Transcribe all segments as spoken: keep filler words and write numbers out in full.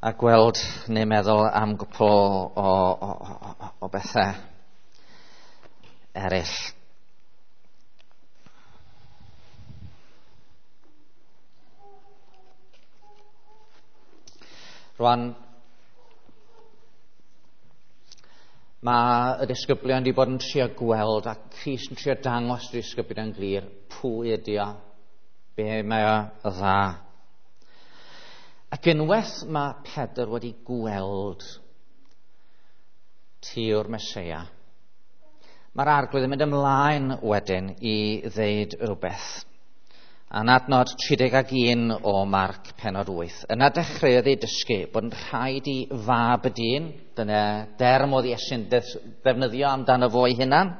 a gweld neu meddwl am gwpl o, o, o, o bethau eraill. Rwan, mae y disgyblion wedi bod yn trio gweld a Crist yn trio dangos y disgyblion yn glir pwy ydi o, be mae o dda. Ac unwaith mae Pedr wedi gweld ti yw'r Meseia, mae'r Arglwydd yn mynd ymlaen wedyn i ddeud rhywbeth. A'n adnod tri deg ag un o Marc pennod wyth. Yna dechreuodd ei dysgu bod yn rhaid i fab y dyn, dyna derm oedd Iesu'n ddefnyddio amdano fo ei hunan,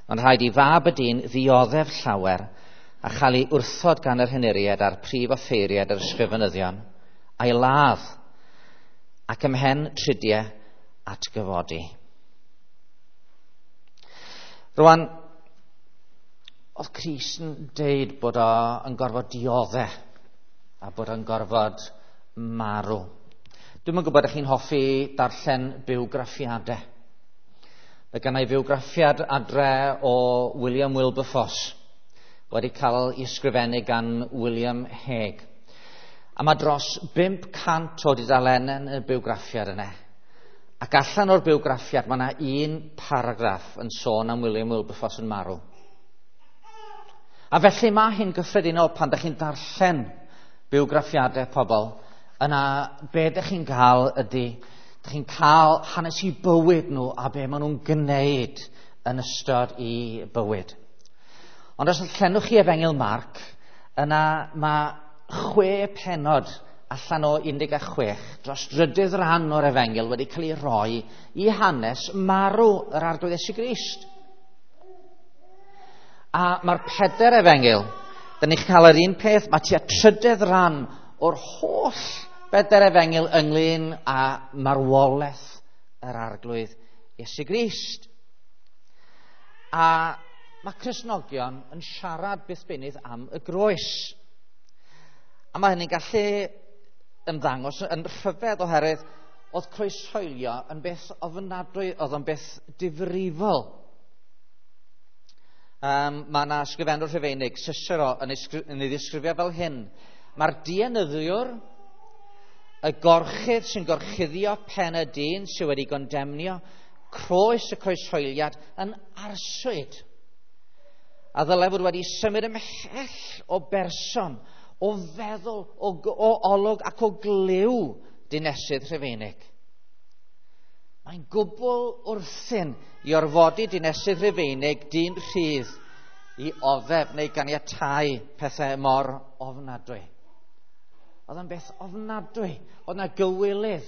ond rhaid i fab y dyn ddioddef llawer a chael ei wrthod gan yr henuriaid a'r prif offeiriaid a'r ysgrifenyddion, a'i ladd ac ymhen tridiau atgyfodi. Rwan, oedd Crist yn deud bod o yn gorfod dioddef a bod o'n gorfod marw. Dwi'm yn gwybod ydych chi'n hoffi darllen bywgraffiadau. Mae gynna i fywgraffiad adre o William Wilberforce, wedi cael ei ysgrifennu gan William Hague. A mae dros bump cant o dudalennau yn y bywgraffiad yna. Ac allan o'r bywgraffiad mae yna un paragraff yn sôn am William Wilberforce yn marw. A felly mae hi'n gyffredinol pan ydych chi'n darllen bywgraffiadau pobl, yna be ydych chi'n cael ydy, ydych chi'n cael hanes i bywyd nhw a be maen nhw'n gwneud yn ystod i bywyd. Ond os llenwch chi Efengyl Marc, yna mae chwe pennod allan o un deg chwech dros drydydd rhan o'r Efengyl wedi cael ei roi i hanes marw yr Arglwydd Iesu Grist. A mae'r peder Efengyl, dyn ni'n cael yr un peth, mae tua trydydd rhan o'r holl beder Efengyl ynglyn â marwolaeth yr Arglwydd Iesu Grist. A mae Cristnogion yn siarad byth beunydd am y groes. A mae hynny'n gallu ymddangos yn rhyfedd oherwydd oedd croeshoelio yn beth ofnadwy, oedd o'n beth difrifol. Um, mae yna ysgrifennwr Rhufeinig, Cicero, yn ei, yn ei ddisgrifio fel hyn. Mae'r dienyddiwr, y gorchudd sy'n gorchuddio pen y dyn sydd wedi gondemnio, croes y croeshoeliad yn arswyd. A ddylai fod wedi symud ymhell o berson, o feddwl, o, o olwg ac o glyw dinesydd Rhufeinig. Mae'n gwbl wrthyn i orfodi dinesydd Rhufeinig dyn rhydd i oddef neu ganiatáu pethau mor ofnadwy. Oedd o'n beth ofnadwy, oedd yna gywilydd,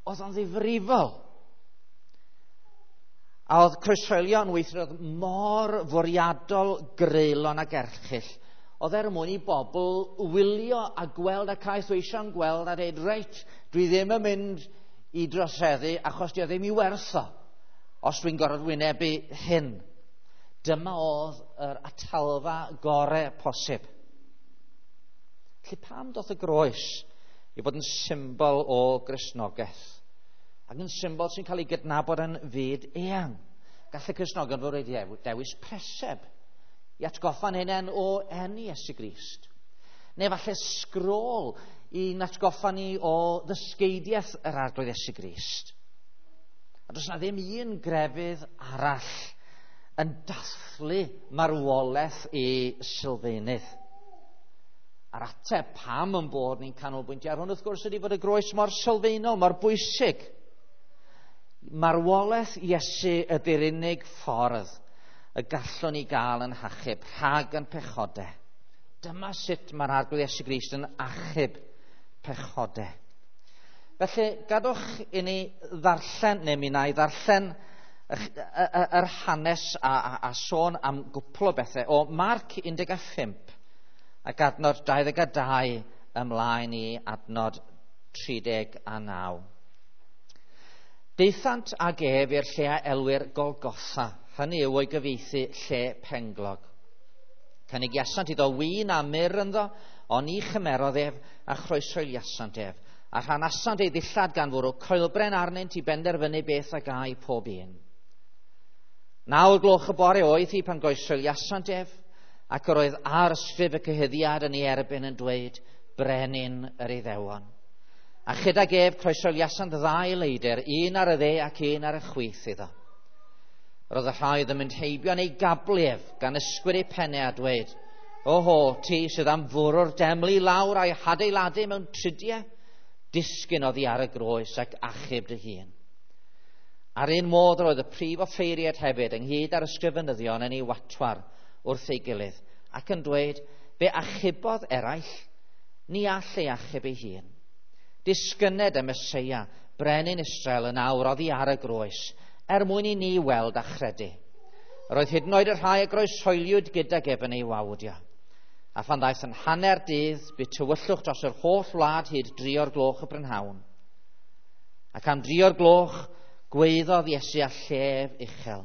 oedd o'n ddifrifol. A oedd croeshoelio yn weithred mor fwriadol, greulon ac erchyll. Oedd er mwyn i bobl wylio a gweld a caethweision gweld a dweud, reit, dwi ddim yn mynd i droseddu achos di o ddim i wertho os dwi'n gorfod wynebu hyn. Dyma oedd yr atalfa gorau posib. Felly pam doth y groes i fod yn symbol o Gristnogaeth? Ac yn symbol sy'n cael ei gydnabod yn fyd eang. Gall y Cristnogion fod wedi dewis preseb i atgoffa'n hunain o eni Iesu Grist. Neu falle sgrôl i'n atgoffa ni o ddysgeidiaeth yr Arglwydd Iesu Grist. A does na ddim un grefydd arall yn dathlu marwolaeth i sylfaenydd. A'r ateb pam yn bod ni'n canolbwyntio ar hwn wrth gwrs ydy fod y groes mor sylfaenol, mor bwysig. Marwolaeth Iesu ydy'r unig ffordd y gallwn ni gael yn hachub rhag yn pechodau. Dyma sut mae'r Arglwydd Iesu Grist yn achub pechodau. Felly, gadwch i ni ddarllen, neu mi wna i ddarllen yr hanes a, a, a sôn am gwpl o bethau o Marc un deg pump ac adnod dau ddeg dau ymlaen i adnod tri deg a naw. Daethant ag ef i'r lle a elwir Golgotha, hynny yw o'i gyfieithu lle penglog. Cynigiasant iddo win a myrr ynddo, ond ni chymerodd ef a chroeshoeliasant ef. A rhanasant ei ddillad gan fwrw coelbren arnynt i benderfynu beth a gai pob un. Naw gloch y bore oedd hi pan goesoliasant ef, ac yr oedd arysgrif y cyhuddiad yn ei erbyn yn dweud, Brenin yr Iddewon. A chydag ef croesoliasant ddau leidr, un ar y dde ac un ar y chwith iddo. Roedd y rhai oedd yn mynd heibio yn ei gablu ef, gan ysgwyd ei pennau a dweud, Oho, ti sydd am fwrw'r deml i lawr a'i hadeiladu mewn tridiau, disgyn oddi ar y groes ac achub dy hun. Ar un modd roedd y prif offeiriad hefyd ynghyd â'r ysgrifenyddion yn ei watwar wrth ei gilydd ac yn dweud, fe achubodd eraill, ni all ei achub ei hun. Disgyned y Meseia, brenin Israel yn awr oddi ar y groes, er mwyn i ni weld a chredu. Roedd hyd yn oed y rhai a groeshoeliwyd gydag ef yn ei wawdio. A phan ddaeth yn hanner dydd, bu tywyllwch dros yr holl wlad hyd dri o'r gloch y prynhawn. Ac am dri o'r gloch, gweiddodd Iesu â llef uchel.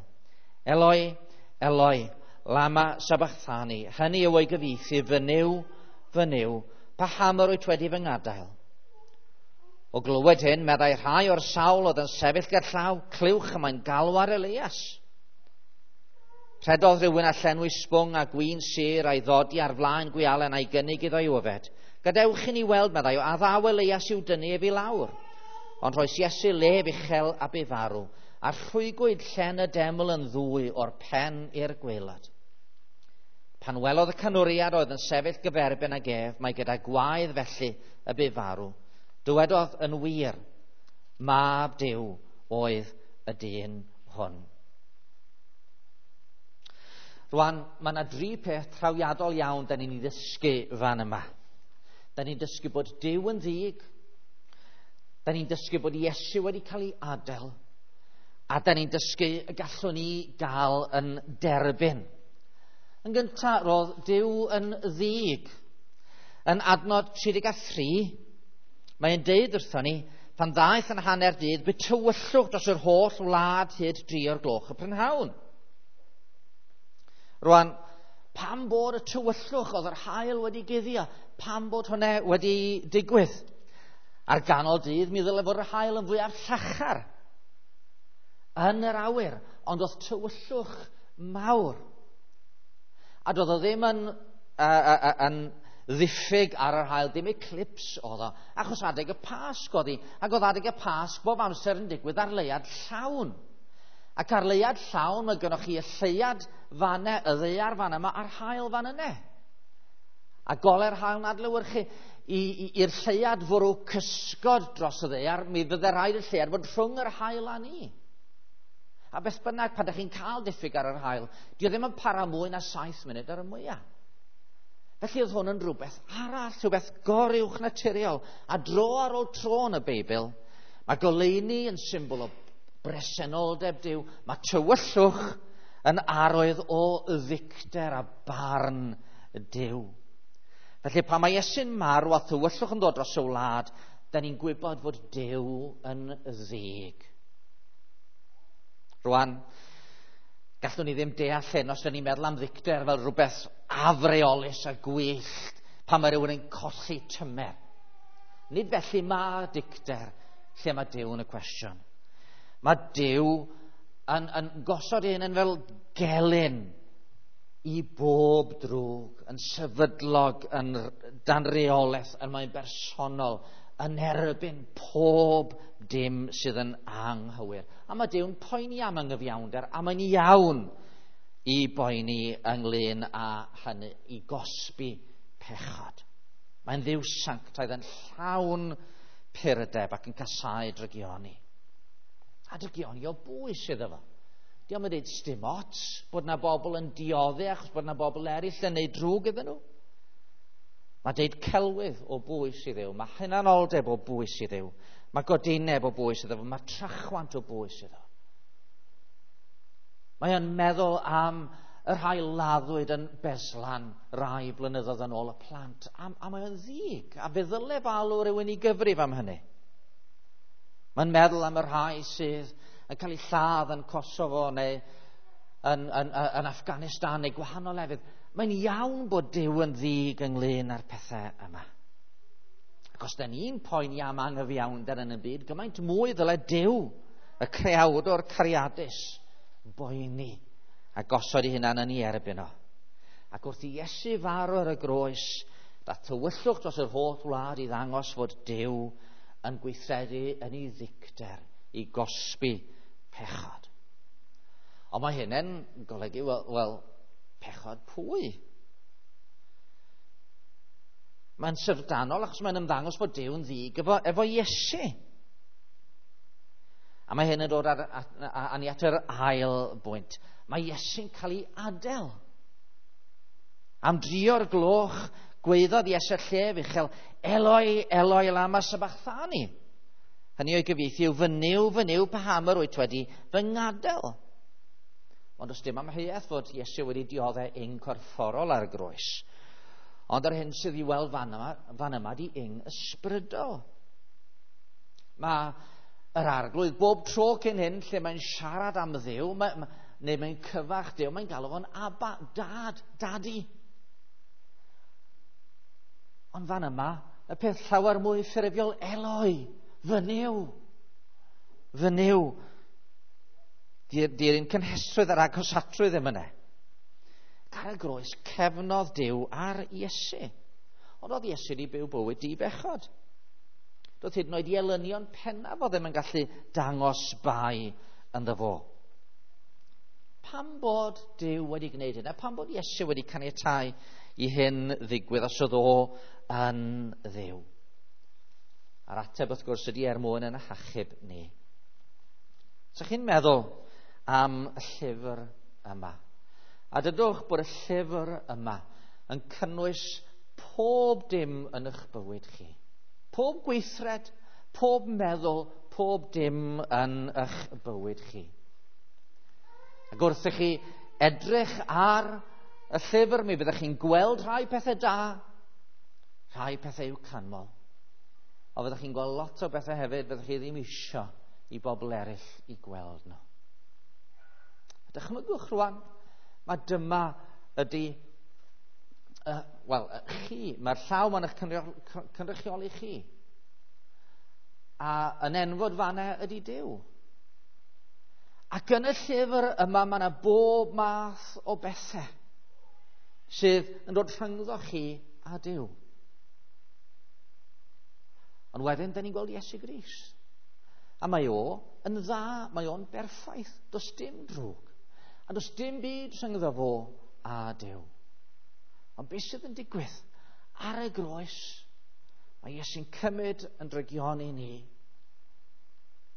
Eloi, Eloi, lama sabachthani, hynny yw ei gyfieithu, fy Nuw, fy Nuw, paham yr wyt wedi fy ngadael? O glywed hyn, meddai rhai o'r sawl oedd yn sefyll gerllaw, clywch y mae'n galw ar Elias. Rhedodd rhywun a llenwi sbwng a gwin sur a'i ddodi ar flaen gwialen a'i gynnig iddo i'w yfed. Gadewch i ni weld, meddai, a ddaw Elias i'w dynnu ef i lawr. Ond rhoes Iesu lef uchel a bu farw, a rhwygwyd llen y deml yn ddwy o'r pen i'r gwaelod. Pan welodd y canwriad oedd yn sefyll gyferbyn ag ef, mae gyda gwaedd felly y bu farw. Dywedodd yn wir, mab Duw oedd y dyn hwn. Rwan, mae yna dri peth trawiadol iawn da ni'n ei ddysgu fan yma. Da ni'n dysgu bod Duw yn ddig, da ni'n dysgu bod Iesu wedi cael ei adael, a da ni'n dysgu y gallwn ni gael yn derbyn. Yn gyntaf, roedd Duw yn ddig. Yn adnod tri deg a thri, mae'n deud wrthon ni, pan ddaeth yn hanner dydd, bu tywyllwch dros yr holl wlad hyd dri o'r gloch y prynhawn. Rwan, pam bod y tywyllwch oedd yr haul wedi guddio? Pam bod hwnna wedi digwydd? Ar ganol dydd, mi ddyle fod yr haul yn fwyaf llachar yn yr awyr, ond oedd tywyllwch mawr. A doedd o ddim yn, uh, uh, yn ddiffyg ar yr haul, dim eclipse oedd o, achos adeg y Pasg oedd hi, ac oedd adeg y Pasg bob amser yn digwydd ar leuad llawn. Ac ar leuad llawn, mae gynnoch chi y lleuad fanne, y ddaear fan yma, a'r haul fan yne. A gole'r haul yn adlewyrchu i'r lleuad fwrw cysgod dros y ddaear, mi fydde rhaid y lleuad fod rhwng yr haul a ni. A beth bynnag, pan ydych chi'n cael diffyg ar yr haul, dio ddim yn para mwy na saith munud ar y mwyaf. Felly oedd hwn yn rhywbeth arall, rhywbeth goruwch naturiol. A dro ar ôl tro yn y Beibl, mae goleuni yn symbol o bresenoldeb Duw, mae tywyllwch yn arwydd o ddicter a barn Duw. Felly pan mae Iesu'n marw a thywyllwch yn dod dros y wlad, da ni'n gwybod fod Duw yn ddig. Rwan, gallwn ni ddim deall hyn os da ni'n meddwl am ddicter fel rhywbeth afreolus a gwyllt pan mae rhywun yn colli tymer. Nid felly mae dicter lle mae Duw yn y cwestiwn. Mae Duw yn, yn gosod ei hunan fel gelyn i bob drwg, yn sefydlog, yn dan reolaeth, yn mae'n bersonol, yn erbyn pob dim sydd yn anghywir. A mae Duw'n poeni am anghyfiawnder, a mae'n iawn i boeni ynglyn â hynny, i gosbi pechod. Mae'n Dduw sanctaidd yn llawn purdeb ac yn casáu drygioni. A drygioni o bwys iddo fo. Dio'm yn dweud sdim ots bod na bobl yn dioddef achos bod na bobl eraill yn neud drwg iddyn nhw. Mae deud celwydd o bwys i Dduw, mae hunanoldeb o bwys i Dduw, mae godineb o bwys iddo fo, mae trachwant o bwys iddo. Mae o'n meddwl am y rhai laddwyd yn Beslan rai blynyddoedd yn ôl y plant, a, a mae o'n ddig, a fe ddyle falw rhywun i gyfrif am hynny. Mae'n meddwl am y rhai sydd yn cael eu lladd yn Kosovo neu yn, yn, yn Afghanistan neu gwahanol lefydd. Mae'n iawn bod Duw yn ddig ynglyn â'r pethau yma. Ac os da ni'n poeni am anghyfiawnder yn y byd, gymaint mwy ddyle Duw, y creawdwr cariadus, boeni a gosod ei hunan yn ei erbyn o. Ac wrth i Iesu farw ar y groes, daeth tywyllwch dros yr holl wlad i ddangos fod Duw yn gweithredu yn ei ddicter i gosbi pechod. Ond mae hyn yn golygu, wel, wel pechod pwy? Mae'n syfrdanol achos mae'n ymddangos bod Duw yn ddig efo, efo Iesu. A mae hyn yn dod ar, a, a, a ni at yr ail bwynt. Mae Iesu'n cael ei adael. Am drio'r gloch, gweiddodd Iesu llef uchel, Eloi, Eloi, lama sabachthani. Hynny o'i gyfieithu yw, fy Nuw, fy Nuw, paham yr wyt wedi fy ngadael? Ond does dim amheuaeth fod Iesu wedi dioddef ing corfforol ar y groes. Ond yr hyn sydd i weld fan yma, fan yma di ing ysbrydol. Mae yr arglwydd bob tro cyn hyn lle mae'n siarad am Dduw, mae, neu mae'n cyfarch Duw, mae'n galw fo'n Abba, dad, dadi. Ond fan yma, y peth llawer mwy ffurfiol, Eloi, fy Nuw, fy Nuw. Di'r un cynhesrwydd a'r agosatrwydd ddim yna. Ar y groes cefnodd Duw ar Iesu. Ond oedd Iesu wedi byw bywyd di-bechod. Doedd hyd yn oed i elynion pennaf o ddim yn gallu dangos bai ynddo fo. Pam bod Duw wedi gwneud hynna? Pam bod Iesu wedi caniatáu i hyn ddigwydd os oedd o yn Dduw? A'r ateb wrth gwrs ydy er mwyn yn hachub ni. So chi'n meddwl am y llyfr yma? A dydwch bod y llyfr yma yn cynnwys pob dim yn eich bywyd chi. Pob gweithred, pob meddwl, pob dim yn eich bywyd chi. Ac wrth i chi edrych ar y llyfr, mi fyddech chi'n gweld rhai pethau da, rhai pethau i'w canmol. Ond fyddech chi'n gweld lot o bethau hefyd fyddech chi ddim isio i bobl eraill i gweld nhw. A dychmygwch rwan, mae dyma ydy, uh, wel, chi, mae'r llaw ma'n eich cynrychioli chi. A yn enfod fanna ydy Duw. Ac yn y llyfr yma mae yna bob math o bethau sydd yn dod rhyngddo chi a Duw. Ond wedyn, da ni'n gweld Iesu Grist. A mae o yn dda, mae o'n berffaith, does dim drwg. A does dim byd rhyngddo fo a Duw. Ond beth sydd yn digwydd? Ar y groes, mae Iesu'n cymryd yn drygioni ni.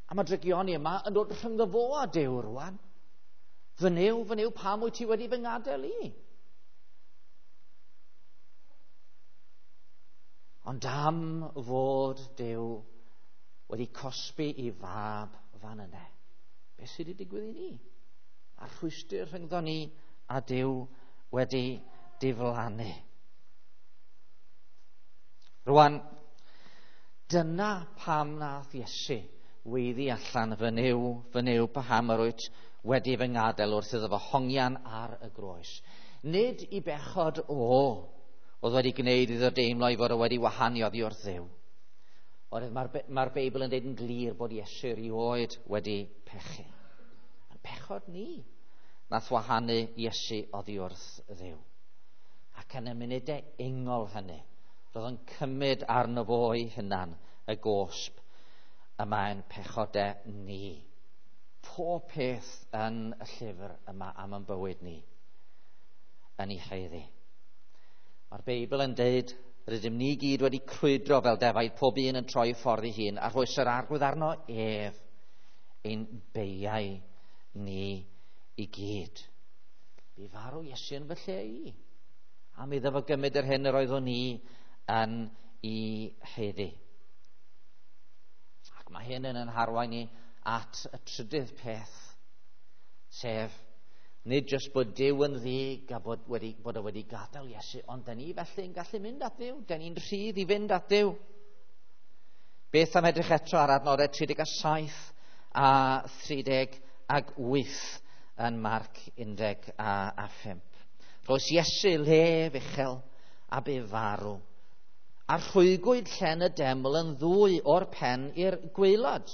A mae drygioni yma yn dod rhyngddo fo a Duw rwan. Fy Nuw, fy Nuw, pam wyt ti wedi fy ngadael i? Ond am fod Duw wedi cosbi i fab fan yna, beth sydd wedi digwydd i ni? A'r rhwystr rhyngddo ni a Duw wedi diflannu. Rwan, dyna pam nath Iesu weiddi allan, fy Nuw, fy Nuw, paham yr wyt wedi fy ngadael wrth iddo fo hongian ar y groes. Nid i bechod o oedd wedi gwneud iddo deimlo i fod o wedi wahanu oddi wrth Dduw. Oherwydd mae'r mae'r Beibl yn dweud yn glir bod Iesu erioed wedi pechu. Yn pechod ni nath wahanu Iesu oddi wrth Dduw. Ac yn y munudau ingol hynny, roedd yn cymryd arno fo ei hunan y gosb y mae'n pechodau ni. Pob peth yn y llyfr yma am yn bywyd ni yn ei haeddu. Mae'r Beibl yn deud, rydym ni gyd wedi crwydro fel defaid, pob un yn troi ffordd ei hun, a rhoes yr arglwydd arno ef ein beiau ni i gyd. Bu farw Iesu yn fy lle i, am iddo fo gymryd yr hyn yr oeddwn ni yn ei haeddu. Ac mae hyn yn harwain ni at y trydydd peth, sef nid jyst bod Duw yn ddig a bod, wedi, bod o wedi gadael Iesu, ond da ni felly yn gallu mynd at Dduw. Da ni'n rhydd i fynd at Dduw. Beth am edrych eto ar adnodau tri deg saith a thri deg wyth yn Marc un deg a phump. Rhoes Iesu lef uchel a bu farw. A rhwygwyd llen y deml yn ddwy o'r pen i'r gwaelod.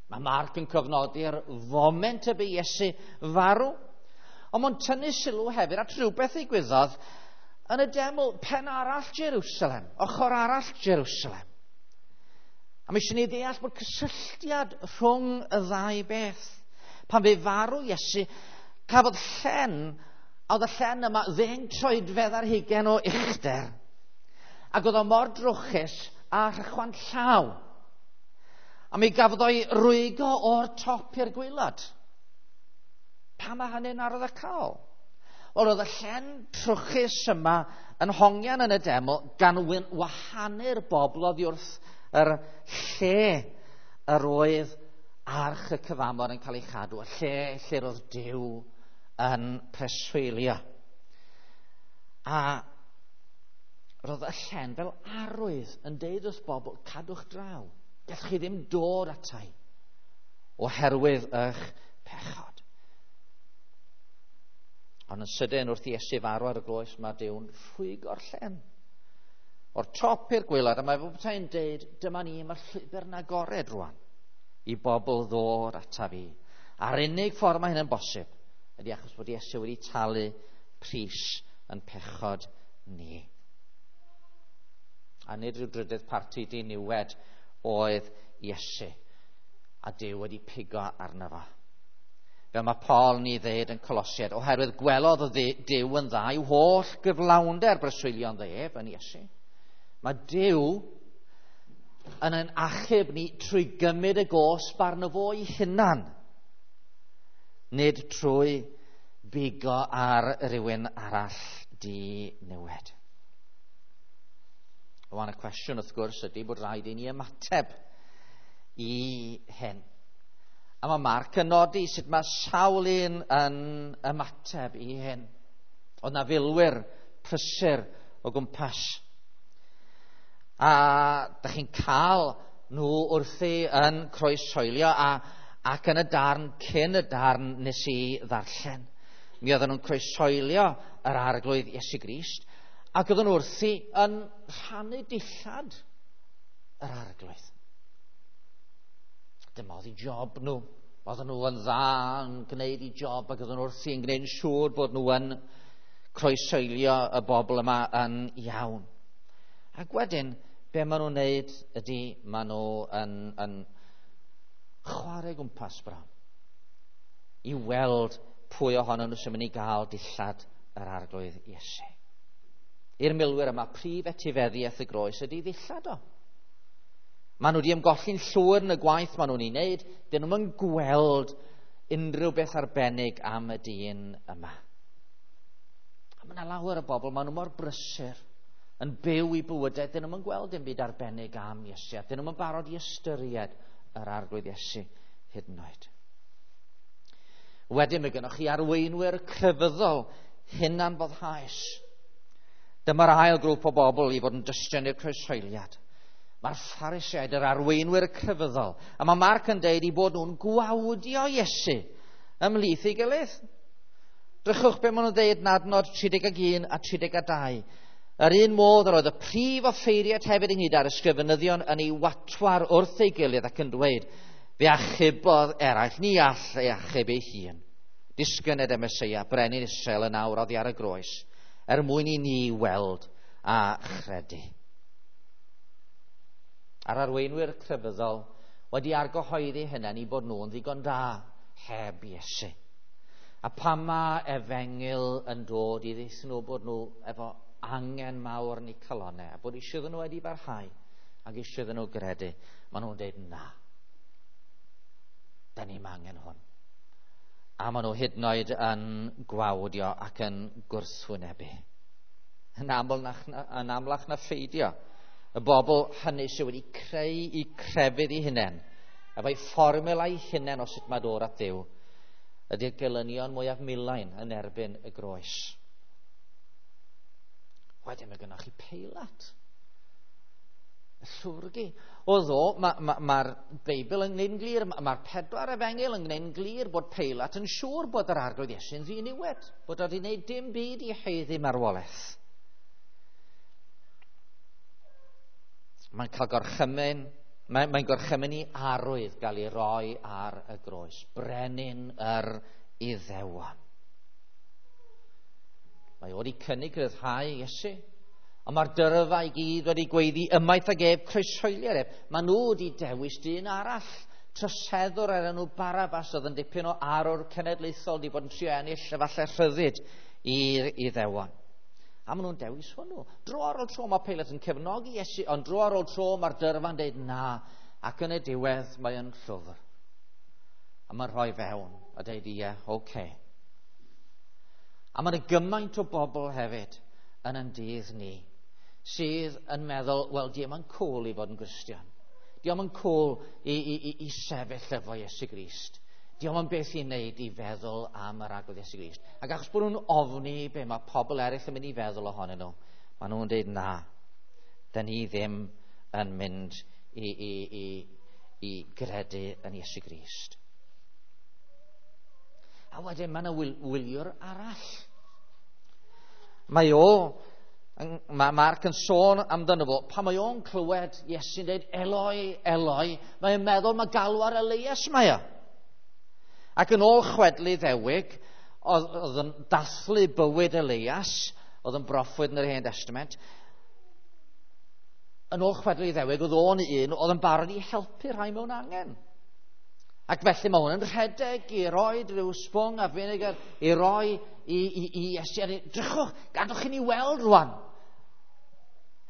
Mae Marc yn cofnodi'r foment y bu Iesu farw. Ond mae'n tynnu sylw hefyd at rhywbeth ddigwyddodd yn y deml pen arall Jerusalem, ochr arall Jerusalem. A mae eisiau ni ddeall bod cysylltiad rhwng y ddau beth. Pan fe farw Iesu, cafodd llen, a oedd y llen yma ddeng troedfedd ar hugain o uchder. Ac oedd o mor drwchus a rhychwant llaw. A mi gafodd o'i rwygo o'r top i'r gwaelod. Pam mae hynny'n arwyddocaol? Wel, oedd y llen trwchus yma yn hongian yn y deml gan wahanu'r bobl oddi wrth yr lle yr oedd arch y cyfamod yn cael ei chadw, y lle lle roedd Duw yn preswylio. A roedd y llen fel arwydd yn deud wrth bobl, cadwch draw. Gallwch chi ddim dod atai oherwydd eich pechod. Ond yn sydyn wrth i Iesu farw ar y groes, mae Duw'n rhwygo'r llen o'r top i'r gwaelod, a mae fel petai'n deud, dyma ni, mae'r llwybr yn agored rwan i bobl ddod ata fi. A'r unig ffordd mae hyn yn bosib ydy achos bod Iesu wedi talu pris yn pechod ni. A nid rhyw drydydd parti diniwed oedd Iesu, a Duw wedi pigo arno fo. Fel mae Paul ni ddeud yn Colosiaid, oherwydd gwelodd Duw yn dda i'w holl gyflawnder breswylio ynddo ef yn Iesu. Mae Duw yn ein achub ni trwy gymryd y gosb arno fo ei hunan, nid trwy bigo ar rywun arall diniwed. Rwan y cwestiwn wrth gwrs ydy bod rhaid i ni ymateb i hyn. A mae Marc yn nodi sut mae sawl un yn ymateb i hyn. Oedd na filwyr prysur o gwmpas. A da chi'n cael nhw wrthi yn croeshoelio a, ac yn y darn cyn y darn nes i ddarllen. Mi oedden nhw'n croeshoelio yr Arglwydd Iesu Grist ac oedden nhw wrthi yn rhannu dillad yr Arglwydd. Dyma oedd eu job nhw. Oedden nhw yn dda yn gwneud eu job ac oedden nhw wrthi yn gwneud yn siŵr bod nhw yn croeshoelio y bobl yma yn iawn. Ac wedyn, be maen nhw'n wneud ydy, maen nhw yn, yn chwarae gwmpas bron i weld pwy ohonyn nhw sy'n mynd i gael dillad yr Arglwydd Iesu. I'r milwyr yma, prif etifeddiaeth y groes ydy ddillad o. Maen nhw wedi ymgolli'n llwyr yn y gwaith maen nhw'n ei wneud, dyn nhw'n gweld unrhyw beth arbennig am y dyn yma. A mae yna lawer o bobl, maen nhw mor brysur yn byw i bywydau, dyn nhw'n gweld dim byd arbennig am Iesu, a dyn nhw'n barod i ystyried yr Arglwydd Iesu hyd yn oed. Wedyn mae gennych chi arweinwyr crefyddol hunanfoddhaus. Dyma'r ail grŵp o bobl i fod yn dystion i'r croeshoeliad. Mae'r Phariseaid, yr arweinwyr crefyddol, a mae Marc yn deud i bod nhw'n gwawdio Iesu ymhlith ei gilydd. Drychwch be maen nhw'n deud yn adnod tri deg un a tri deg dau. Yr un modd yr oedd y prif offeiriad hefyd ynghyd â'r ysgrifenyddion yn ei watwar wrth ei gilydd ac yn dweud, fe achubodd eraill, ni all ei achub ei hun. Disgyned y Meseia, brenin Israel yn awr oddi ar y groes, er mwyn i ni weld a chredu. A'r arweinwyr crefyddol wedi argyhoeddi hynny i bod nhw'n ddigon da heb Iesu. A pan mae efengyl yn dod i ddeithio nhw bod nhw efo angen mawr yn eu calonnau, a bod eisiau iddyn nhw wedi barhau ac eisiau iddyn nhw gredu, maen nhw'n deud na. Da ni'm angen hwn. A maen nhw hyd yn oed yn gwawdio ac yn gwrthwynebu. Yn aml na, yn amlach na pheidio, y bobl hynny sydd wedi creu eu crefydd eu hunain, efo'i fformula eu hunain o sut mae dod at Dduw, ydy'r gelynion mwyaf milain yn erbyn y groes. Wedyn mae gennych chi Peilat. Y llwrgi. O ddo, mae'r ma, ma Beibl yn gwneud yn glir, mae'r pedwar efengyl yn gwneud yn glir bod Peilat yn siŵr bod yr Arglwydd Iesu'n ddiniwed, bod o wedi gwneud dim byd i haeddu marwolaeth. Mae'n cael gorchymyn, mae'n mae gorchymyn i arwydd gael ei roi ar y groes. Brenin yr Iddewon. Mae o wedi cynnig rhyddhau Iesu. Ond mae'r dyrfa i gyd wedi gweiddi ymaith ag ef, croeshoelier ef. Maen nhw wedi dewis dyn arall. Troseddwr ar enw Barabbas oedd yn dipyn o arwr cenedlaethol wedi bod yn trio ennill efallai rhyddid i'r Iddewon. A maen nhw'n dewis hwnnw. Dro ar ôl tro mae Peilat yn cefnogi Iesu, ond dro ar ôl tro mae'r dyrfa'n deud na. Ac yn y diwedd mae yn llwfr. A mae'n rhoi fewn a deud ie, oce. Okay. A mae'n gymaint o bobl hefyd yn yn dydd ni sydd yn meddwl, wel, di o'm yn cool i fod yn Gristion. Di o'm yn cool i, i, i, i sefyll efo Iesu Grist. Di o'm yn beth i wneud i feddwl am yr Arglwydd Iesu Grist. Ac achos bod nhw'n ofni be mae pobl eraill yn mynd i feddwl ohonyn nhw, maen nhw'n dweud na, dyn ni ddim yn mynd i, i, i, i gredu yn Iesu Grist. A wedyn mae yna wyliwr arall. Mae o, mae Mark yn sôn amdano fo, pan mae o'n clywed Iesu'n dweud Eloi, Eloi, mae'n meddwl mae galw ar Elias mae o. Ac yn ôl chwedl Iddewig, oedd, oedd yn dathlu bywyd Elias, oedd yn broffwyd yn yr Hen Testament, yn ôl chwedl Iddewig, oedd o'n un oedd yn barod i helpu rhai mewn angen. Ac felly mae hwn yn rhedeg i roi rhyw sbwng a vinegar i roi i, i, i Iesu. Drychwch, gadwch i ni weld rwan.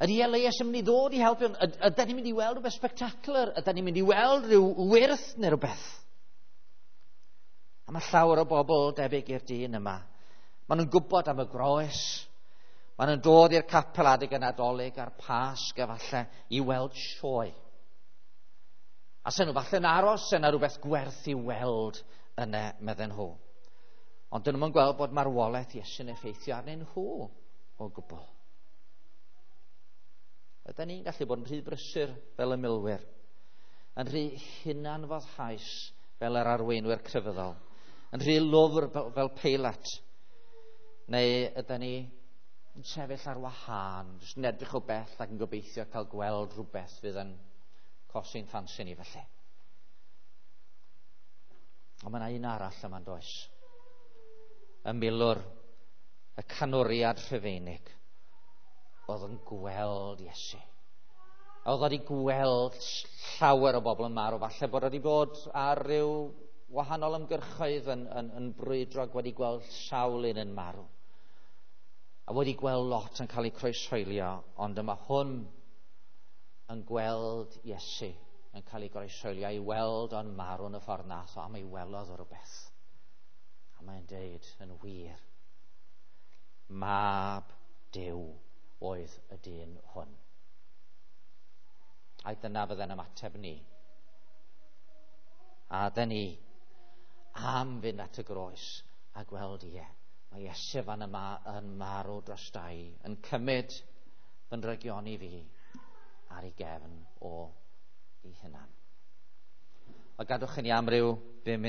Ydy Elias yn mynd i ddod i helpu? Ydyn ni'n mynd i weld rhywbeth spectacular? Ydyn ni'n mynd i weld rhyw wyrth neu rhywbeth? A mae llawer o bobl debyg i'r dyn yma. Maen nhw'n gwybod am y groes. Maen nhw'n dod i'r capel adeg y Nadolig a'r Pasg efallai i weld sioe. A sen nhw falle'n aros yna rhywbeth gwerth i weld yna, medden nhw. Ond dyn nhw'n gweld bod marwolaeth Iesu'n effeithio arnyn nhw o gwbl. Ydyn ni'n gallu bod yn rhy brysur fel y milwyr, yn rhy hunanfoddhaus fel yr arweinwyr crefyddol, yn rhy lwfr fel Peilat, neu ydyn ni yn sefyll ar wahân, jyst yn edrych o bell ac yn gobeithio cael gweld rhywbeth fydd yn cosi'n ffansi ni felly. Ond mae yna un arall yma'n does. Y milwr, y canwriad Rhufeinig, oedd yn gweld Iesu. Oedd wedi gweld llawer o bobl yn marw, falle bod wedi bod ar ryw wahanol ymgyrchoedd yn, yn, yn brwydro ac wedi gweld sawl un yn marw. A wedi gweld lot yn cael eu croeshoelio, ond yma hwn yn gweld Iesu yn cael ei groeshoelio, i weld o'n marw yn y ffordd nath o, a mae welodd o rhywbeth. A mae'n deud yn wir, mab Duw oedd y dyn hwn. A dyna fydde'n ymateb ni. A dyn ni am fynd at y groes a gweld ie. Mae Iesu fan yma yn marw dros dau, yn cymryd fy nrygioni fi ar ei gefn o ei hunan. A gadwch i ni am ryw bum munud.